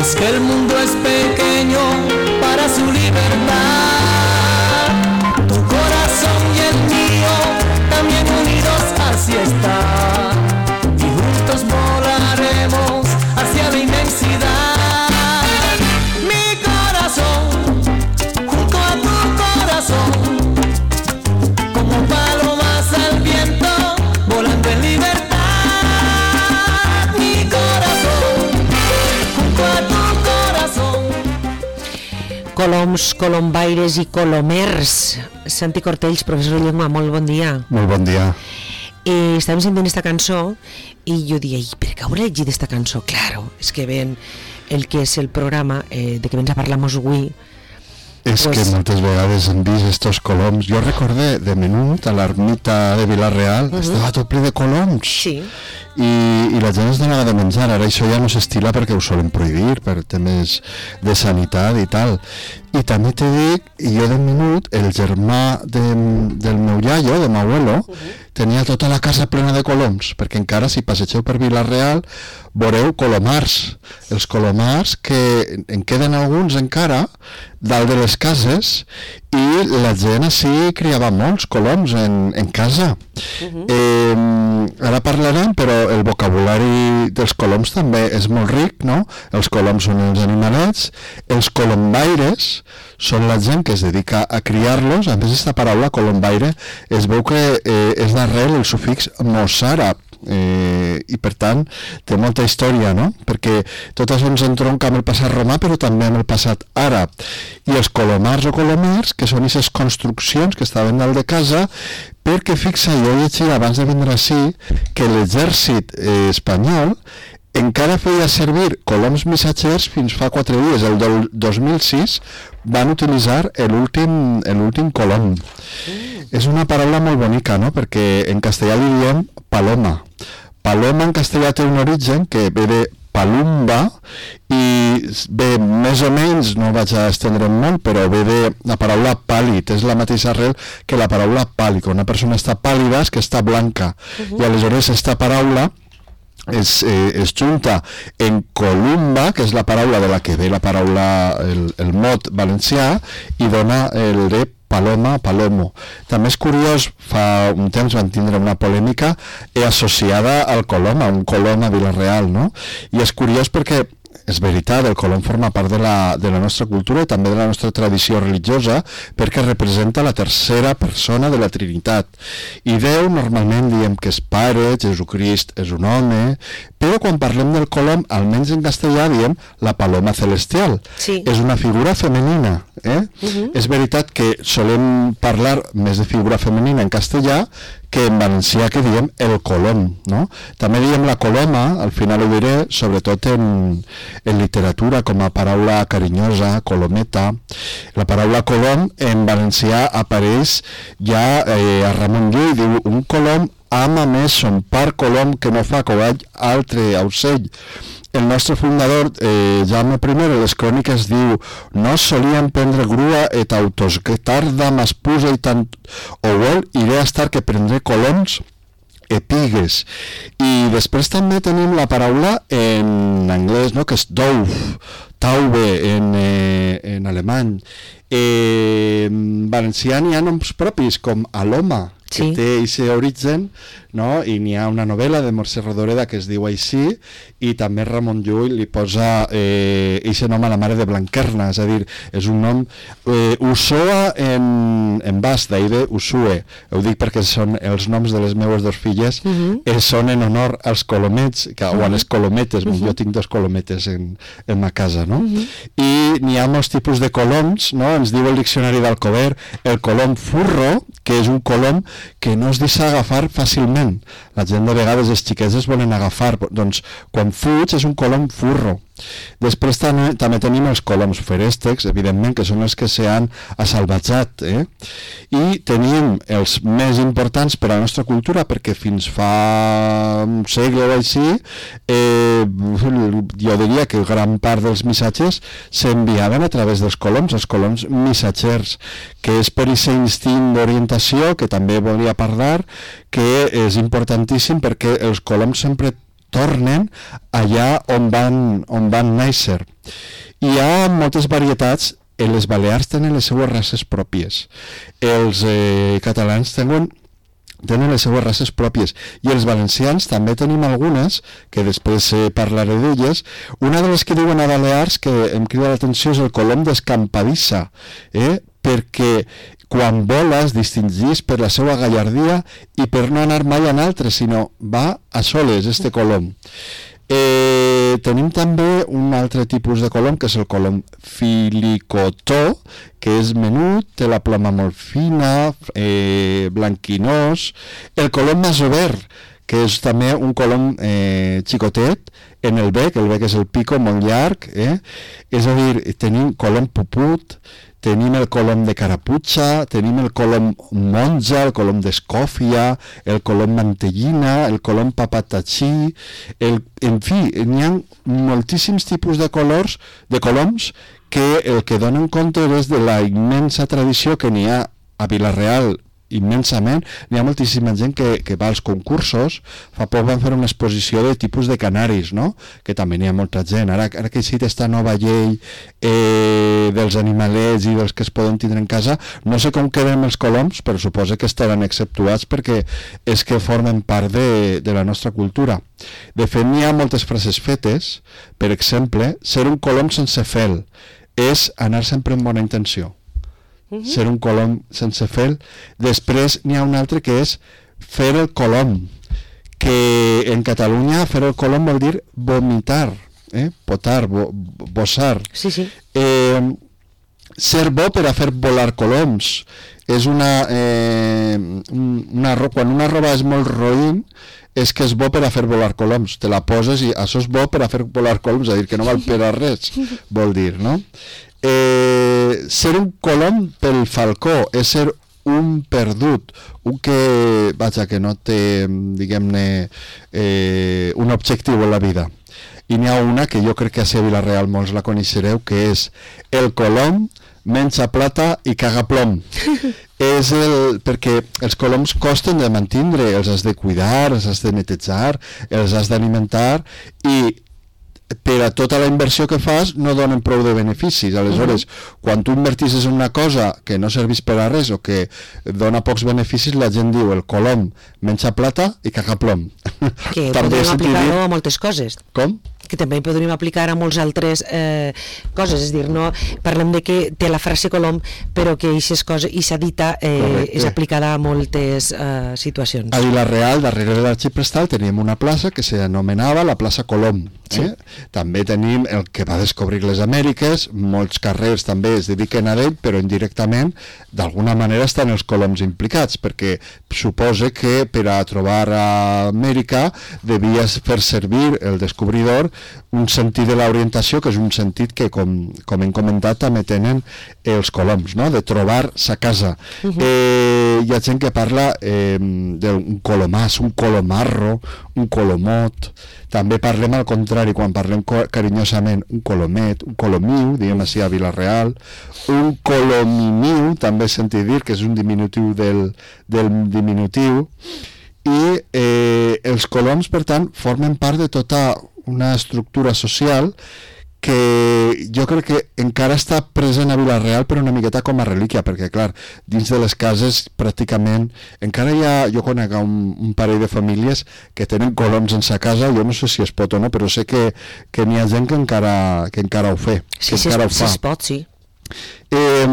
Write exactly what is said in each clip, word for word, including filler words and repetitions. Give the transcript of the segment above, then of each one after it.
es que el mundo es pequeño para su libertad. Tu corazón y el mío, también unidos así está. Y juntos volaremos hacia la inmensidad. Mi corazón, junto a tu corazón, como palomas al viento, volando en libertad. Mi corazón, junto a tu corazón. Coloms, colombaires i colomers. Santi Cortells, professor de llengua, molt bon dia. Molt bon dia. Eh, estàvem sentint esta cançó i jo diia, i per què hauré llegit esta cançó? Claro, és que ven el que és el programa eh, de que vens a parlar-nos avui. És pues... que moltes vegades hem vist estos coloms. Jo recordé de menut a l'ermita de Vila-real, uh-huh. estava tot ple de coloms. Sí. I, i la gent es donava de menjar. Ara això ja no s'estila perquè ho solen prohibir per temes de sanitat i tal. I també te dic, jo de menut, el germà de, del meu iaio, de m'abuelo, uh-huh. tenia tota la casa plena de coloms, perquè encara si passegeu per Vila-real veureu colomars. Els colomars que en queden alguns encara dalt de les cases i la gent així criava molts coloms en, en casa. Uh-huh. eh, ara parlarem, però el vocabulari dels coloms també és molt ric, no? Els coloms són els animalets, els colombaires són la gent que es dedica a criar-los. A més, aquesta paraula colombaire es veu que eh, és d'arrel el sufix mossàrab, eh, i per tant té molta història, no? Perquè tot això ens entronca amb el passat romà però també amb el passat àrab. I els colomars o colomers, que són aquestes construccions que estaven dalt de casa, perquè fixa, jo he llegit abans de vindre així que l'exèrcit eh, espanyol encara feia servir coloms missatgers fins fa quatre dies. El del dos mil sis van utilitzar l'últim l'últim colom. Mm. És una paraula molt bonica, no? Perquè en castellà li diem paloma. Paloma en castellà té un origen que ve de palumba i ve més o menys, no vaig a estendre'm molt, però ve de la paraula pàl·lid, és la mateixa arrel que la paraula pàl·lid. Quan una persona està pàl·lida és que està blanca. Uh-huh. I aleshores aquesta paraula es, eh, es junta en columba, que és la paraula de la que ve la paraula, el, el mot valencià, i dona el de paloma, palomo. També és curiós, fa un temps van tindre una polèmica eh, associada al colom, a un colom a Vila-real, no? I és curiós perquè és veritat, el colom forma part de la, de la nostra cultura i també de la nostra tradició religiosa, perquè representa la tercera persona de la Trinitat. I Déu normalment diem que és Pare, Jesucrist és un home, però quan parlem del colom, almenys en castellà diem la paloma celestial. Sí. És una figura femenina. Eh? Uh-huh. És veritat que solem parlar més de figura femenina en castellà que en valencià, que diem el colom, no? També diem la coloma, al final ho diré, sobretot en, en literatura, com a paraula carinyosa, colometa. La paraula colom en valencià apareix ja eh, a Ramon Llull, diu un colom ama més son par colom que no fa covall altre aucell. El nostre fundador, eh, Jaume I, a les cròniques diu: no solien prendre grua et autos, que tarda mas puja i tant o vol, iré a estar que prendré coloms e pigues. I després també tenim la paraula en anglès, no?, que és dove, taube en, eh, en alemany. Eh, en valencià n'hi ha noms propis, com Aloma, que sí. té aquest origen, no? I n'hi ha una novel·la de Mercè Rodoreda que es diu així, i també Ramon Llull li posa aquest eh, nom a la mare de Blanquerna, és a dir, és un nom eh, Usoa en, en basc, d'ahir de Usue. Ho dic perquè són els noms de les meves dos filles, uh-huh. eh, són en honor als colomets, que, uh-huh. o a les colometes, uh-huh. jo tinc dos colometes en, en ma casa, no? Uh-huh. I n'hi ha molts tipus de coloms, no? Ens diu el diccionari d'Alcover el colom furro, que és un colom que no es deixa agafar fàcilment. La gent de vegades, els xiquets es volen agafar, doncs quan fuig és un colom furro. Després també, també tenim els coloms feréstecs, evidentment, que són els que s'han assalvatjat, eh? I tenim els més importants per a la nostra cultura, perquè fins fa un segle o així, eh, jo diria que gran part dels missatges s'enviaven a través dels coloms, els coloms missatgers, que és per aquest instint d'orientació, que també volia parlar, que és importantíssim perquè els coloms sempre tornen allà on van, on van néixer. Hi ha moltes varietats. Les Balears tenen les seues races pròpies. Els eh, catalans tenen tenen les seues races pròpies, i els valencians també tenim algunes, que després eh, parlaré d'elles. Una de les que diuen a Balears, que em crida l'atenció, és el colom d'escampadissa, eh? perquè quan vola es distingís per la seva gallardia i per no anar mai en altres, sinó va a soles, este colom. Eh, tenim també un altre tipus de colom, que és el colom filicotó, que és menut, té la ploma molt fina, eh, blanquinós. El colom masover, que és també un colom eh, xicotet, en el bec, el bec és el pico molt llarg, eh? És a dir, tenim colom puput, tenim el colom de caraputxa, tenim el colom monja, el colom d'escòfia, el colom mantellina, el colom papatatxí, el, en fi, n'hi ha moltíssims tipus de colors, de coloms, que el que donen compte és de la immensa tradició que n'hi ha a Vila-real, immensament. N'hi ha moltíssima gent que, que va als concursos. Fa poc van fer una exposició de tipus de canaris, no? Que també n'hi ha molta gent. Ara, ara que ha existit aquesta nova llei eh, dels animalets i dels que es poden tindre en casa, no sé com queden els coloms, però suposo que estaran exceptuats perquè és que formen part de, de la nostra cultura. De fet, n'hi ha moltes frases fetes. Per exemple, ser un colom sense fel és anar sempre amb bona intenció. Uh-huh. Ser un colom sense fel. Després n'hi ha un altre que és fer el colom, que en Catalunya fer el colom vol dir vomitar, eh? Potar, bo, bossar. Sí, sí. Eh, ser bo per a fer volar coloms. És una, eh, una... Quan una roba és molt roïn, és que és bo per a fer volar coloms. Te la poses i això és bo per a fer volar coloms, és a dir, que no val per a res, vol dir, no? Eh, ser un colom pel falcó és ser un perdut, un que, vaja, que no té, diguem-ne, eh, un objectiu en la vida. I n'hi ha una que jo crec que a Vila-real molts la coneixereu, que és el colom menja plata i caga plom. És el, perquè els coloms costen de mantindre, els has de cuidar, els has de netejar, els has d'alimentar, i per a tota la inversió que fas no donen prou de beneficis. Aleshores, uh-huh. quan tu invertisses en una cosa que no servís per a res o que dona pocs beneficis, la gent diu el colom menja plata i caga plom. Que podríem aplicar-ho a moltes coses. Com? Que també podríem aplicar a molts altres eh, coses, és dir, no parlem de que té la frase colom, però que aquesta dita eh, és aplicada a moltes eh, situacions. A Vila-real, darrere de l'Arxiprestal, teníem una plaça que s'anomenava la plaça Colom. Eh? Sí. També tenim el que va descobrir les Amèriques, molts carrers també es dediquen a ell, però indirectament d'alguna manera estan els coloms implicats, perquè suposa que per a trobar a Amèrica devies fer servir el descobridor un sentit de l'orientació, que és un sentit que, com, com hem comentat, també tenen els coloms, no? De trobar sa casa. Uh-huh. eh, hi ha gent que parla eh, d'un colomàs, un colomarro, un colomot. També parlem al contrari, quan parlem carinyosament, un colomet, un colomiu, diguem així a Vila-real, un colomimiu, també he sentit dir que és un diminutiu del, del diminutiu, i eh, els coloms, per tant, formen part de tota una estructura social que jo crec que encara està present a Vila-real, però una miqueta com a relíquia, perquè clar, dins de les cases pràcticament, encara hi ha, jo conec un, un parell de famílies que tenen coloms en sa casa, jo no sé si es pot o no, però sé que, que n'hi ha gent que encara, que encara ho fe, sí, que sí, encara es, ho fa. Sí, es pot, sí. Eh,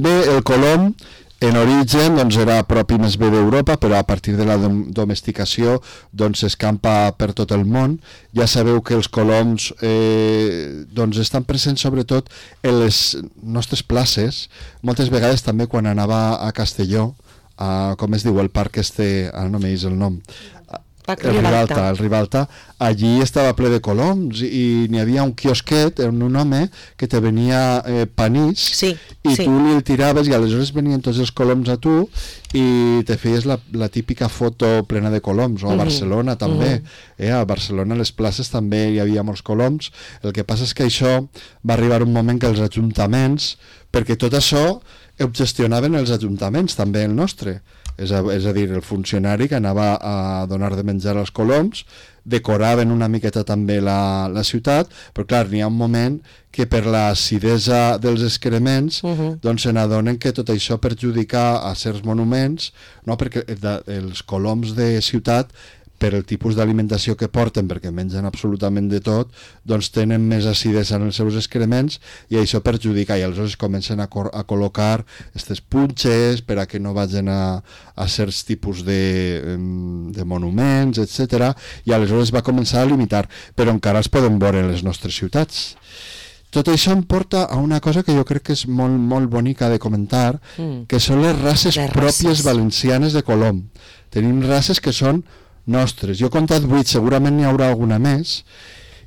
bé, el colom en origen doncs, era propi més bé d'Europa, però a partir de la dom domesticació doncs, s'escampa per tot el món. Ja sabeu que els coloms eh, doncs, estan presents sobretot en les nostres places, moltes vegades també quan anava a Castelló, a, com es diu el parc este, ara no m'eix el nom, el Ribalta, el Ribalta, allí estava ple de coloms i n'hi havia un quiosquet, un home que te venia eh, panís, sí, i sí. tu li el tiraves i aleshores venien tots els coloms a tu i te feies la, la típica foto plena de coloms, o a Barcelona uh-huh. també, uh-huh. eh, a Barcelona a les places també hi havia molts coloms. El que passa és que això va arribar un moment que els ajuntaments, perquè tot això ho gestionaven els ajuntaments, també el nostre, és a, és a dir, el funcionari que anava a donar de menjar als coloms decoraven una miqueta també la, la ciutat, però clar, n'hi ha un moment que per l'acidesa dels excrements uh -huh. doncs se n'adonen que tot això perjudica a certs monuments, no? Perquè de, els coloms de ciutat, per el tipus d'alimentació que porten, perquè mengen absolutament de tot, doncs tenen més acidesa en els seus excrements i això perjudica, i aleshores comencen a, a col·locar aquestes punxes per a que no vagin a, a certs tipus de, de monuments, etcètera, i aleshores va començar a limitar, però encara es poden veure en les nostres ciutats. Tot això em porta a una cosa que jo crec que és molt, molt bonica de comentar, mm. que són les races les pròpies races. valencianes de colom. Tenim races que són nostres. Jo he contat vuit, segurament n'hi haurà alguna més,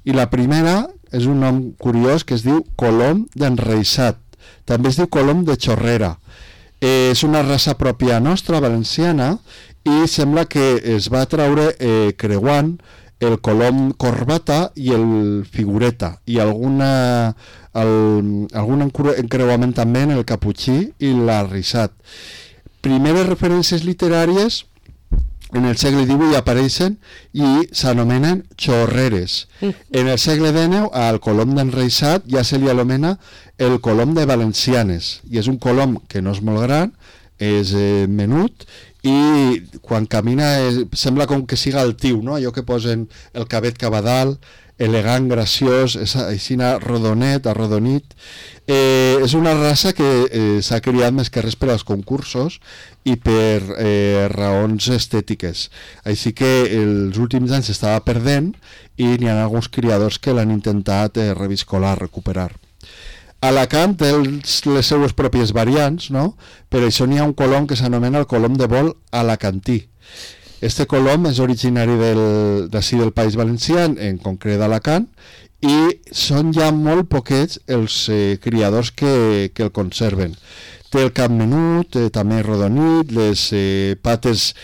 i la primera és un nom curiós que es diu colom d'enreixat, també es diu colom de xorrera. Eh, és una raça pròpia nostra, valenciana, i sembla que es va treure eh, creuant el colom corbata i el figureta, i alguna, el, algun encreuament també en el caputxí i l'arrissat. Primeres referències literàries en el segle divuit apareixen i s'anomenen xorreres. En el segle dinou al colom d'enreixat ja se li anomena el colom de valencianes, i és un colom que no és molt gran, és eh, menut, i quan camina eh, sembla com que siga altiu, no? Allò que posen el cabet cap a dalt, elegant, graciós, és així rodonet, arrodonit. Eh, és una raça que eh, s'ha criat més que res per als concursos i per eh, raons estètiques. Així que els últims anys s'estava perdent i n'hi ha alguns criadors que l'han intentat eh, reviscolar, recuperar. Alacant té els, les seues pròpies variants, no? Per això n'hi ha un colom que s'anomena el colom de vol alacantí. Este colom és originari del, d'ací del País Valencià, en concret d'Alacant, i són ja molt poquets els eh, criadors que, que el conserven. Té el cap menut, eh, també rodonit, les eh, pates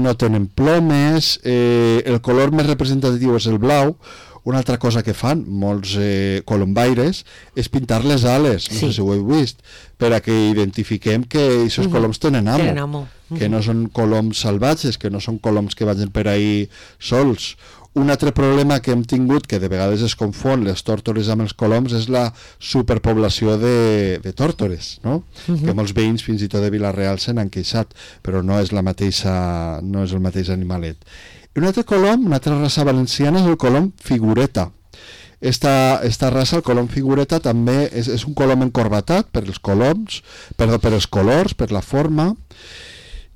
no tenen plomes, eh, el color més representatiu és el blau. Una altra cosa que fan molts eh, colombaires és pintar les ales, no sí. sé si ho heu vist, per a que identifiquem que aquests uh -huh. coloms tenen amo, tenen amo. Uh -huh. que no són coloms salvatges, que no són coloms que vagin per ahí sols. Un altre problema que hem tingut, que de vegades es confon les tòrtores amb els coloms, és la superpoblació de, de tòrtores, no? Uh -huh. Que molts veïns fins i tot de Vila-real se n'han queixat, però no és la mateixa, no és el mateix animalet. I un altre colom, una altra raça valenciana, és el colom figureta. Esta, esta raça, el colom figureta, també és, és un colom encorbatat per els coloms, perdó, per els colors, per la forma.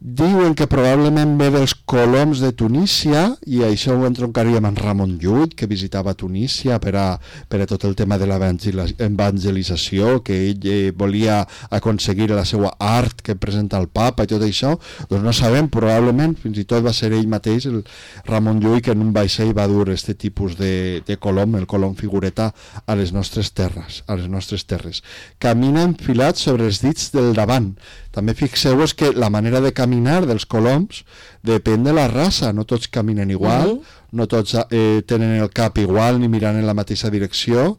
Diuen que probablement ve dels coloms de Tunísia, i això ho entroncaríem amb Ramon Llull, que visitava Tunísia per a, per a tot el tema de l'evangelització, que ell eh, volia aconseguir la seva art que presenta el papa i tot això. Doncs no sabem, probablement fins i tot va ser ell mateix, el Ramon Llull, que en un vaixell va dur aquest tipus de, de colom, el colom figureta, a les nostres terres, a les nostres terres. Camina enfilat sobre els dits del davant. També fixeu-vos que la manera de caminar dels coloms depèn de la raça, no tots caminen igual, uh -huh. no tots eh, tenen el cap igual ni miran en la mateixa direcció.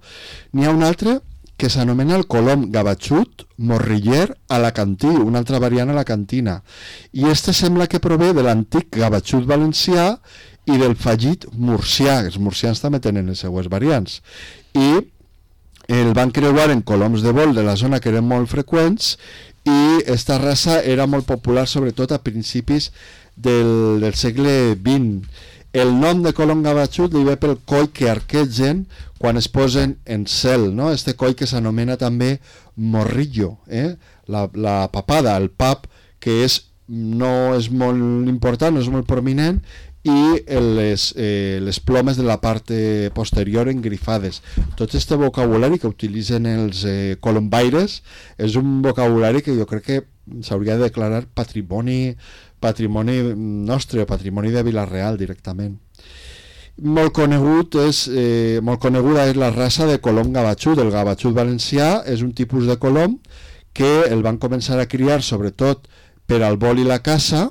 N'hi ha un altre que s'anomena el colom gavatxut morriller alacantí, una altra variant alacantina, i este sembla que prové de l'antic gavatxut valencià i del fallit murcià. Els murcians també tenen les seues variants, i el van creuar en coloms de vol de la zona que eren molt freqüents, i esta raça era molt popular sobretot a principis del, del segle vint. El nom de colom gavatxut li ve pel coll que arquegen quan es posen en cel, no? Este coll que s'anomena també morrillo, eh? la, la papada, el pap, que és, no és molt important, no és molt prominent, i les, eh, les plomes de la part eh, posterior engrifades. Tot aquest vocabulari que utilitzen els eh, colombaires és un vocabulari que jo crec que s'hauria de declarar patrimoni, patrimoni nostre, patrimoni de Vila-real directament. Molt conegut és, eh, molt coneguda és la raça de colom gavatxut. El gavatxut valencià és un tipus de colom que el van començar a criar sobretot per al vol i la caça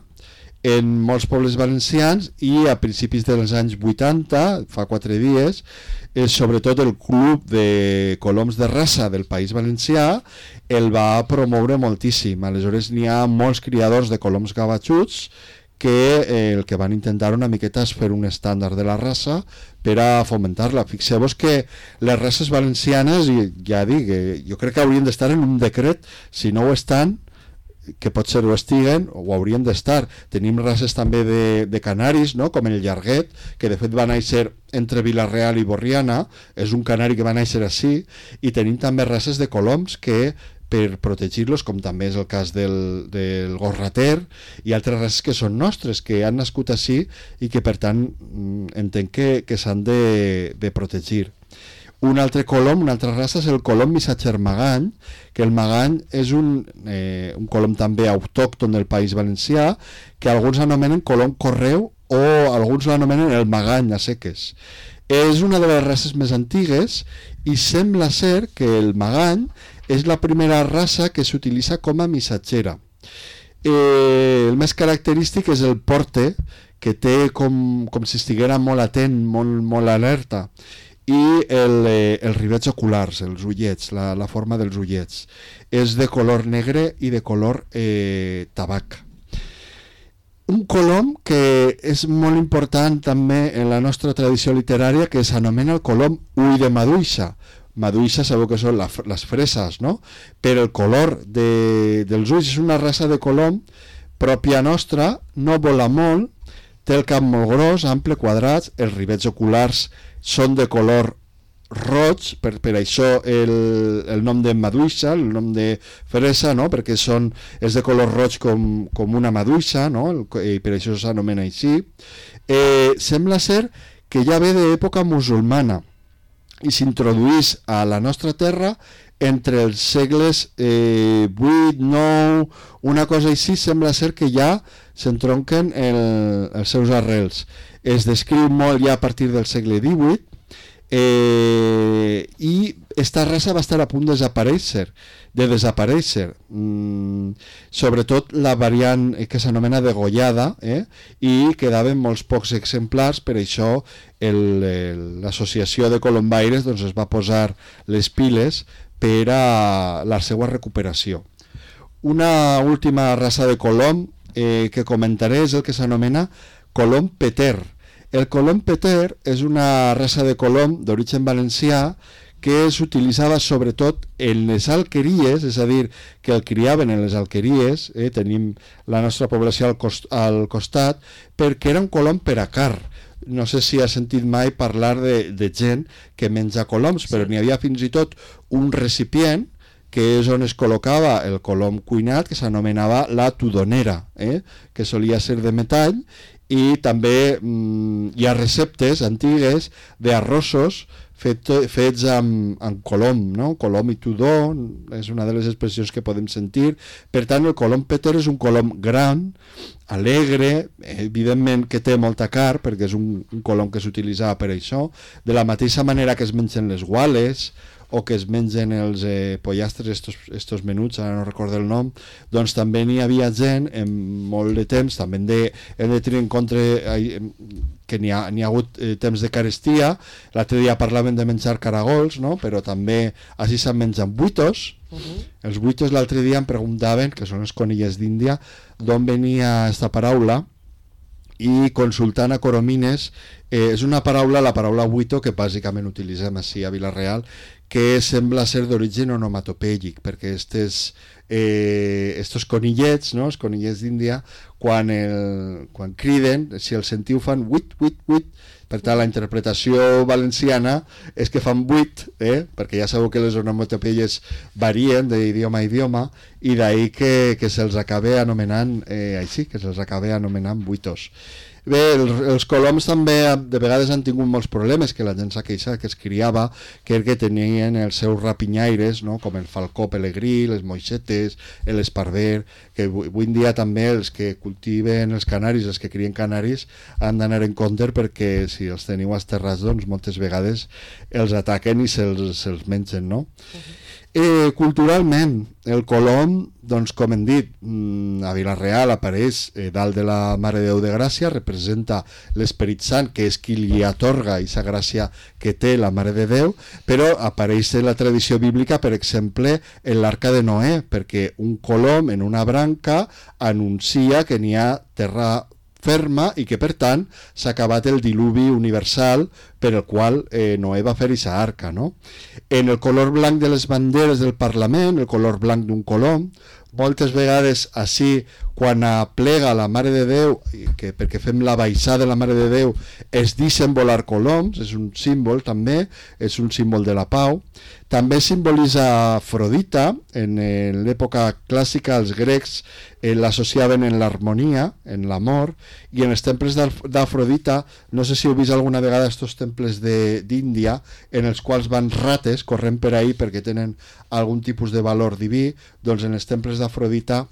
en molts pobles valencians, i a principis dels anys vuitanta, fa quatre dies, eh, sobretot el Club de Coloms de Raça del País Valencià el va promoure moltíssim. Aleshores n'hi ha molts criadors de coloms gavatxuts que eh, el que van intentar una miqueta és fer un estàndard de la raça per a fomentar-la. Fixeu-vos que les races valencianes, i ja dic, eh, jo crec que haurien d'estar en un decret, si no ho estan, que potser ho estiguen, o ho haurien d'estar. Tenim races també de, de canaris, no? Com el llarguet, que de fet va néixer entre Vila-real i Borriana, és un canari que va néixer així, i tenim també races de coloms que, per protegir-los, com també és el cas del, del gorrater, i altres races que són nostres, que han nascut així i que per tant entenc que, que s'han de, de protegir. Un altre colom, una altra raça és el colom missatger magany, que el magany és un, eh, un colom també autòcton del País Valencià, que alguns anomenen colom correu o alguns l'anomenen el magany a seques. És una de les races més antigues i sembla ser que el magany és la primera raça que s'utilitza com a missatgera. Eh, el més característic és el porte, que té com, com si estiguera molt atent, molt, molt alerta, i el, eh, els rivets oculars, els ullets, la, la forma dels ullets. És de color negre i de color eh, tabac. Un colom que és molt important també en la nostra tradició literària, que s'anomena el colom ull de maduixa. Maduixa sabeu que són la, les freses, no? Però el color de, dels ulls és una raça de colom pròpia nostra, no vola molt, té el cap molt gros, ample, quadrats, els rivets oculars són de color roig, per, per això el, el nom de maduixa, el nom de fresa, no? Perquè són, és de color roig com, com una maduixa, no? El, i per això s'anomena així. Eh, sembla ser que ja ve d'època musulmana i s'introduís a la nostra terra entre els segles eh, vuit, nou, una cosa així. Sembla ser que ja s'entronquen el, els seus arrels. Es descriu molt ja a partir del segle divuit, eh, i esta raça va estar a punt de desaparèixer, de desaparèixer. Mm, sobretot la variant que s'anomena degollada, eh, i quedaven molts pocs exemplars, per això l'associació de colombaires doncs, es va posar les piles per a la seva recuperació. Una última raça de colom eh, que comentaré és el que s'anomena colom peter. El colom peter és una raça de colom d'origen valencià que s'utilitzava sobretot en les alqueries, és a dir, que el criaven en les alqueries, eh, tenim la nostra població al, cost, al costat, perquè era un colom per a car. No sé si has sentit mai parlar de, de gent que menja coloms, però n'hi havia fins i tot un recipient que és on es col·locava el colom cuinat, que s'anomenava la tudonera, eh? Que solia ser de metall, i també mm, hi ha receptes antigues d'arrossos fet, fets amb, amb colom, no? Colom i tudó és una de les expressions que podem sentir. Per tant, el colom peter és un colom gran, alegre, evidentment que té molta car, perquè és un, un colom que s'utilitzava per això, de la mateixa manera que es mengen les guales o que es mengen els eh, pollastres, estos, estos menuts, ara no recordo el nom, doncs també n'hi havia gent en molt de temps, també hem de, hem de tenir en compte eh, que n'hi ha, n'hi ha hagut eh, temps de carestia. L'altre dia parlaven de menjar caragols, no? Però també així se'n mengen buitos. Uh-huh. Els buitos l'altre dia em preguntaven, que són les conilles d'Índia, d'on venia aquesta paraula, i consultant a Coromines, eh, és una paraula, la paraula buito, que bàsicament utilitzem així a Vila-real, que sembla ser d'origen onomatopèic, perquè estes, eh, estos conillets, no? Els conillets d'Índia, quan, el, quan criden, si el sentiu fan buit, buit, buit. Per tant, la interpretació valenciana és que fan buit, eh? Perquè ja sabeu que les onomatopeies varien d'idioma a idioma, i d'ahir que, que se'ls acaba anomenant eh, així, que se'ls acaba anomenant buitos. Bé, els, els coloms també de vegades han tingut molts problemes, que la gent s'ha queixat, que es criava, que que tenien els seus rapinyaires, no? Com el falcó pelegrí, les moixetes, l'esparver, que avui en dia també els que cultiven els canaris, els que crien canaris, han d'anar en compte, perquè si els teniu als terrats, doncs moltes vegades els ataquen i se'ls, se'ls mengen, no? Uh-huh. Eh, culturalment, el colom, doncs, com hem dit, a Vila-real apareix eh, dalt de la Mare de Déu de Gràcia, representa l'Esperit Sant, que és qui li atorga aquesta gràcia que té la Mare de Déu, però apareix en la tradició bíblica, per exemple, en l'Arca de Noé, perquè un colom en una branca anuncia que n'hi ha terra ferma i que per tant s'ha acabat el diluvi universal per el qual eh, Noé va fer aquesta arca, no? En el color blanc de les banderes del Parlament, el color blanc d'un colom, moltes vegades així quan aplega la Mare de Déu, que perquè fem la baixada de la Mare de Déu, es deixen volar coloms, és un símbol també, és un símbol de la pau. També simbolitza Afrodita, en l'època clàssica els grecs eh, l'associaven en l'harmonia, en l'amor, i en els temples d'Afrodita, no sé si heu vist alguna vegada aquests temples d'Índia, en els quals van rates corrent per ahí perquè tenen algun tipus de valor diví, doncs en els temples d'Afrodita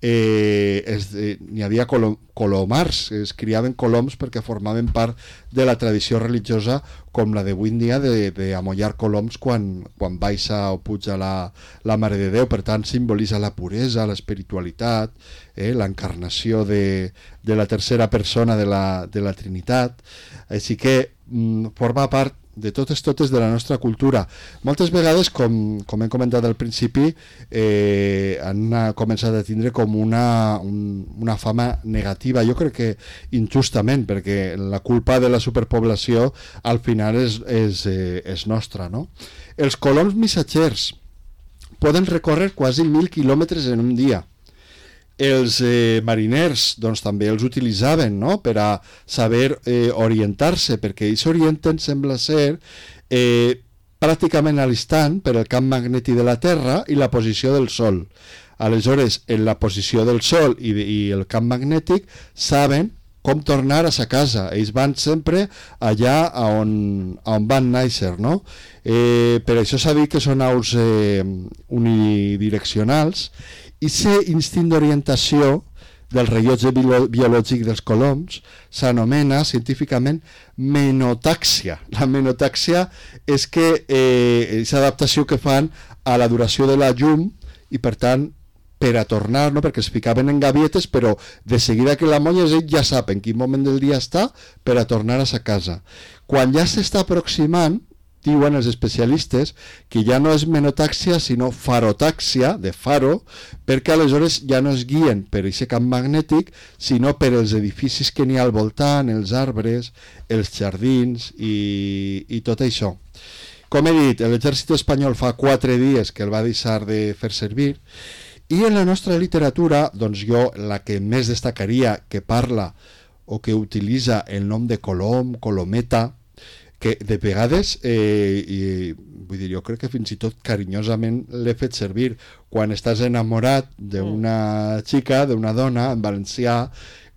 eh, eh, n'hi havia colom, colomars, es criaven coloms perquè formaven part de la tradició religiosa com la d'avui en dia d'amollar coloms quan, quan baixa o puja la, la Mare de Déu. Per tant, simbolitza la puresa, l'espiritualitat, eh, l'encarnació de, de la tercera persona de la, de la Trinitat. Així que mm, forma part de totes totes de la nostra cultura. Moltes vegades, com, com hem comentat al principi, eh, han començat a tindre com una, un, una fama negativa, jo crec que injustament, perquè la culpa de la superpoblació al final és, és, eh, és nostra, no? Els coloms missatgers poden recórrer quasi mil quilòmetres en un dia. Els eh, mariners doncs, també els utilitzaven, no?, per a saber eh, orientar-se, perquè ells s'orienten, sembla ser, eh, pràcticament a l'instant per el camp magnètic de la Terra i la posició del Sol. Aleshores, en la posició del Sol i, i el camp magnètic saben com tornar a sa casa. Ells van sempre allà on, on van néixer, no? Eh, per això s'ha dit que són aus eh, unidireccionals. I aquest instint d'orientació del rellotge biològic dels coloms s'anomena científicament menotàxia. La menotàxia és que eh, és adaptació que fan a la duració de la llum i per tant per a tornar, no? Perquè es ficaven en gavietes, però de seguida que la molles ell ja sap en quin moment del dia està per a tornar a sa casa. Quan ja s'està aproximant, diuen els especialistes que ja no és menotàxia sinó farotàxia, de faro, perquè aleshores ja no es guien per aquest camp magnètic sinó per els edificis que n'hi ha al voltant, els arbres, els jardins i, i tot això. Com he dit, l'exèrcit espanyol fa quatre dies que el va deixar de fer servir i en la nostra literatura, doncs jo la que més destacaria que parla o que utilitza el nom de colom, colometa, que de vegades, eh, i, vull dir, jo crec que fins i tot carinyosament l'he fet servir quan estàs enamorat d'una xica, d'una dona, en valencià,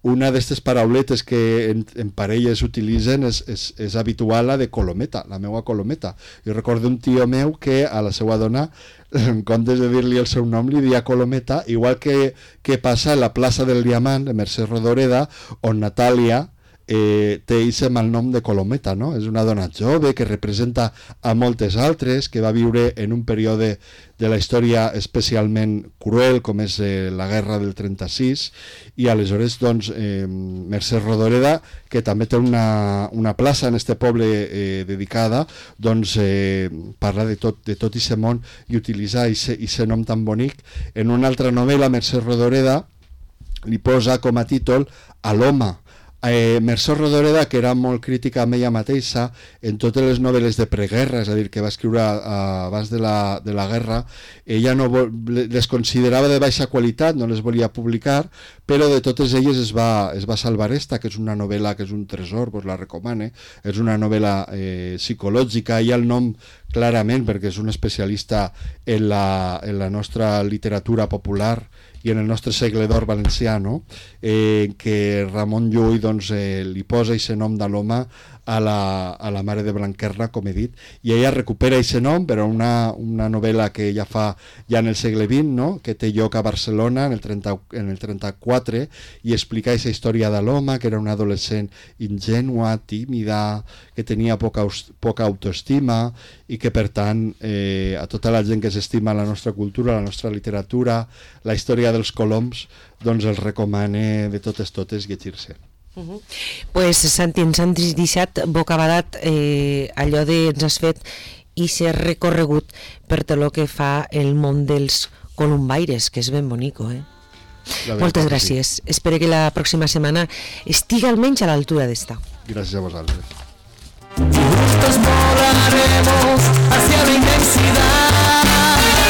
una d'aquestes parauletes que en, en parelles utilitzen és, és, és habitual la de colometa, la meua colometa. Jo recordo un tio meu que a la seva dona, en comptes de dir-li el seu nom, li dia colometa, igual que, que passa a la plaça del Diamant, de Mercè Rodoreda, on Natàlia Eh, té aquest malnom de Colometa, no? És una dona jove que representa a moltes altres, que va viure en un període de la història especialment cruel com és eh, la guerra del trenta-sis i aleshores doncs eh, Mercè Rodoreda, que també té una, una plaça en este poble eh, dedicada, doncs eh, parla de tot de tot aquest món i utilitza aquest nom tan bonic. En una altra novel·la Mercè Rodoreda li posa com a títol a l'home. Eh, Mercè Rodoreda, que era molt crítica amb ella mateixa en totes les novel·les de preguerra, és a dir, que va escriure uh, abans de la, de la guerra, ella no vol, les considerava de baixa qualitat, no les volia publicar, però de totes elles es va, es va salvar esta, que és una novel·la que és un tresor, pues la recomane, és una novel·la eh, psicològica, i el nom clarament, perquè és un especialista en la, en la nostra literatura popular i en el nostre segle d'or valencià, no? eh, que Ramon Llull doncs, eh, li posa aquest nom de l'home a la, a la mare de Blanquerna, com he dit, i ella recupera aquest nom, però una, una novel·la que ja fa ja en el segle vint, no? Que té lloc a Barcelona en el, trenta, en el trenta-quatre, i explica aquesta història de l'home, que era una adolescent ingènua, tímida, que tenia poca, poca autoestima, i que per tant eh, a tota la gent que s'estima la nostra cultura, la nostra literatura, la història dels coloms, doncs els recomane de totes totes llegir-se. Uh -huh. Pues Santi, ens han deixat bocabadat eh, allò de ens has fet i ser recorregut per tot el que fa el món dels colombaires, que és ben bonico, eh? Moltes gràcies. Sí. Espero que la pròxima setmana estigui almenys a l'altura d'esta. Gràcies a vosaltres. Juntos volaremos hacia la inmensidad.